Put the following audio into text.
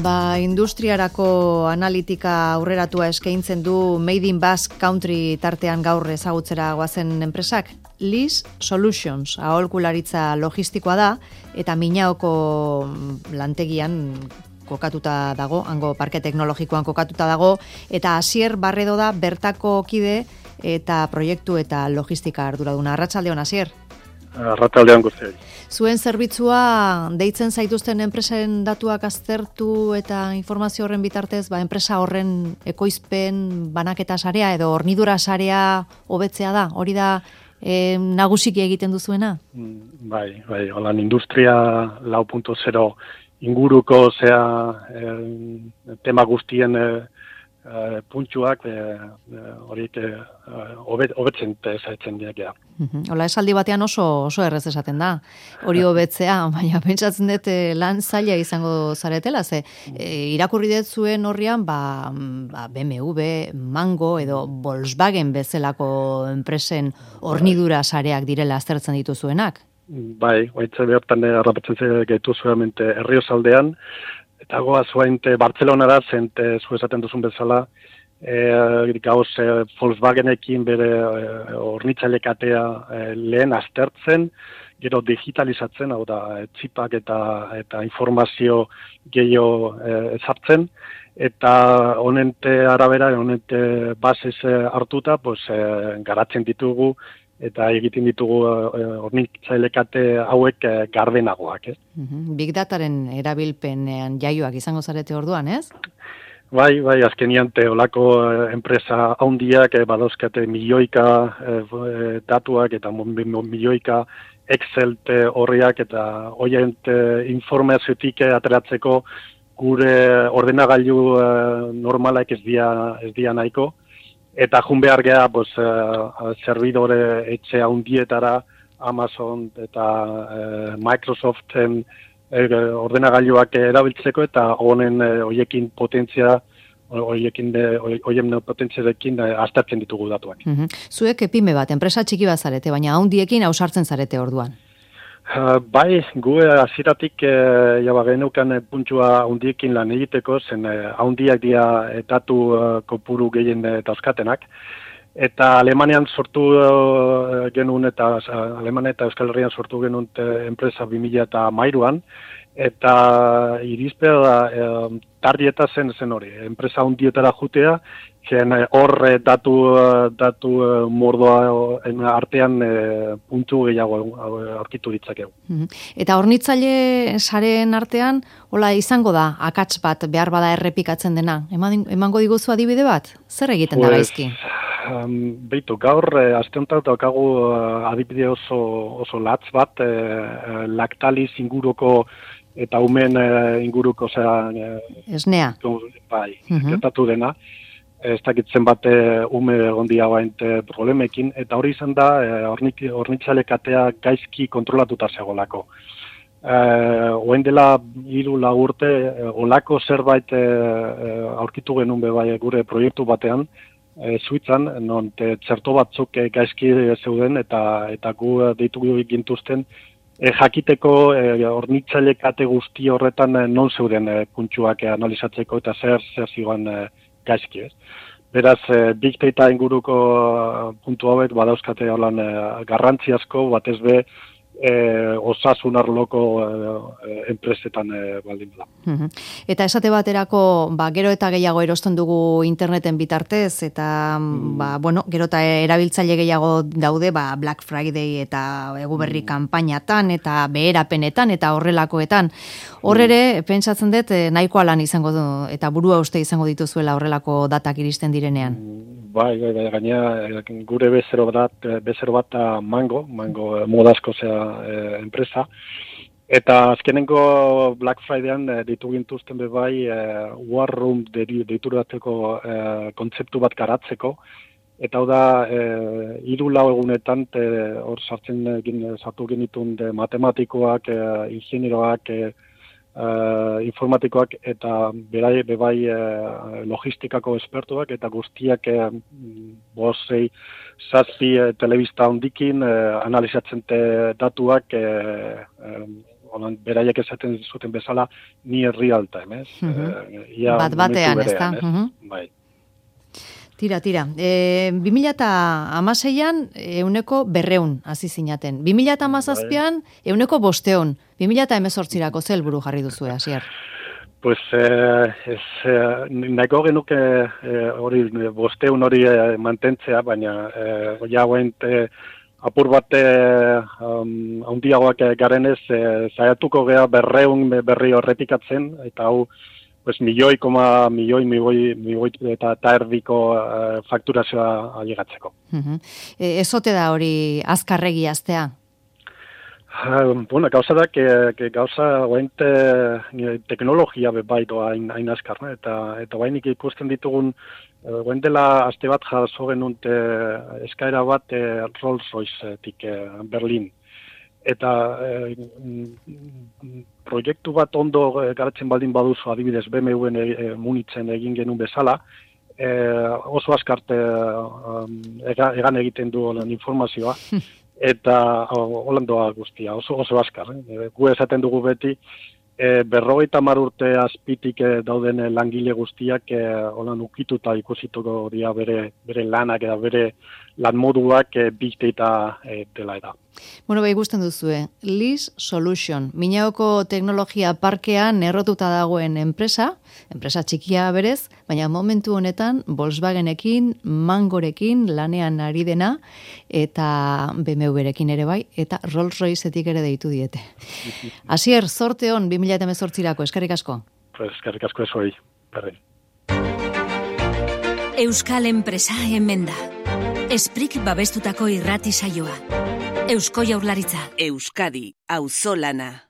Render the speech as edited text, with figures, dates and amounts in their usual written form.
Industriarako analitika aurreratua eskaintzen du Made in Basque Country tartean gaur ezagutzera goazen enpresak. LIS Solutions, aholkularitza logistikoa da, eta Minaoko lantegian kokatuta dago, hango parke teknologikoan kokatuta dago, eta Asier Barredo da bertako kide eta proiektu eta logistika arduraduna. Arratsaldeon, Asier. Arratsaldeon guztioi. Zuen zerbitzua deitzen zaituzten enpresen datuak aztertu eta informazio horren bitartez, enpresa horren ekoizpen banaketa sarea edo hornidura sarea hobetzea da. Hori da nagusiki egiten duzuena? Bai, holan industria 4.0 inguruko tema guztien puntxuak horiek hobetzen zaitzen diakea. Hola, esaldi batean oso errez esaten da. Hori hobetzea, baina pentsatzen dut lan zaila izango zaretela, ze irakurri dut zuen horrian BMW, Mango edo Volkswagen bezalako enpresen hornidura sareak direla aztertzen dituzuenak. Bai, hoitze bertan harrapatzen gaitu zuemente Herriosaldean, eta goaz oainte Bartzelonara, zente zu esaten duzun bezala, gauz Volkswagenekin bere hornitzailekatea lehen aztertzen, gero digitalizatzen, hau da, txipak eta informazio gehiago ezartzen, eta honente arabera, honente bases hartuta, garatzen ditugu, eta egiten ditugu hornitzailekate hauek gardenagoak. Big Dataren erabilpenean jaioak izango zarete orduan, ez? Bai, azkenian olako enpresa handiak badauzkate milioika datuak eta milioika Excel horriak eta horien informaziotik ateratzeko gure ordenagailu normalak ez dia nahiko. Eta jun behar geha, servidore etxe handietara, Amazon eta Microsoften ordenagailuak erabiltzeko eta honen hoiekin potentziarekin aztertzen ditugu datuak. Zuek pyme bat, enpresa txiki bat zarete, baina handiekin ausartzen zarete orduan. Bai, gu hasieratik geneukan puntua handiekin lan egiteko, zen handiak dira datu kopuru gehien dauzkatenak. Eta Alemanian sortu genuen eta Alemania eta Euskal Herrian sortu genuen enpresa 2013an, eta irizpea da tardieta zen hori, enpresa handietara jutea, zen hor datu mordoa artean puntu gehiago aurkitu ditzakegu. Eta hornitzaile sareen artean, hola izango da, akats bat behar bada errepikatzen dena. Emango diguzu adibide bat? Zer egiten da gaizki? Beitu, gaur, aste honetan daukagu adibide oso latz bat, Lactalis inguruko eta umen inguruko esnea. Bai, gertatu dena. Ez dakitzen bate ume egondia bainte problemekin, eta hori izan da hornitzailekatea gaizki kontrolatuta zegolako. Oen dela 3-4 urte, olako zerbait aurkitu genuen bai gure proiektu batean, Suitzan, non txerto batzuk gaizki zeuden eta gu deitu gintuzten, jakiteko hornitzailekate guzti horretan non zeuden puntxuak analizatzeko eta zer zigoan gaizki, ez. Beraz, Big Data inguruko puntu hauek badauzkate holan garrantzi asko, batez be osasun arloko enpresetan baldin da. Eta esate baterako, gero eta gehiago erosten dugu interneten bitartez, eta gero eta erabiltzaile gehiago daude Black Friday eta eguberri kanpainatan, eta beherapenetan, eta horrelakoetan. Horrere, pentsatzen dut, nahikoa lan izango du, eta burua uste izango dituzuela horrelako datak iristen direnean. Bai, gaina gure bezero bat Mango modazko enpresa, eta azkenengo Black Fridayan ditu gintuzten bai War Room deiturateko kontzeptu bat garatzeko, eta hau da 3-4 egunetan hor sartu genitun matematikoak, ingenieroak, informatikoak eta bebai logistikako espertuak eta guztiak 5-6 telebista handikin analizatzen datuak beraiek esaten zuten bezala, near real time, ez? Bat batean, ez da? Bai. Tira. 2016an 200 hasi zinaten. 2017an 500. 2018rako ze helburu jarri duzue, Asier? Pues nahiko genuke hori 500 hori mantentzea, baina ja apur bat handiagoak garenez saiatuko gea 200 berri horretikatzen, eta hau milioi eta erdiko fakturazioa ailegatzeko. Ez ote da hori azkarregi aztea? Gauza da, gauza teknologia bai doa hain azkarna, eta bainik ikusten ditugun, dela aste bat jaso genunt eskaera bat Rolls-Royce-tik Berlin. Eta proiektu bat ondo garatzen baldin baduzu, adibidez BMW-en Munitzen egin genuen bezala, oso azkarte egan egiten du informazioa, eta holandoa guztia, oso azkar. Gu esaten dugu beti, 50 urte azpitik dauden langile guztiak holan ukituta ikusituko dira bere lanak eta bere lan moduak big data dela eta. Bueno, ikusten duzue, LIS Solution, Miñaoko teknologia parkean errotuta dagoen enpresa txikia berez, baina momentu honetan Volkswagenekin, Mangorekin lanean ari dena, eta BMW-rekin ere bai, eta Rolls-Royceetik ere deitu diete. Asier, zorte hon 2018rako, eskerrik asko. Eskerrik asko ezoi, berdin. Euskal enpresa hemen da. Esprik babestutako irrati saioa. Eusko Jaurlaritza. Euskadi, auzolana.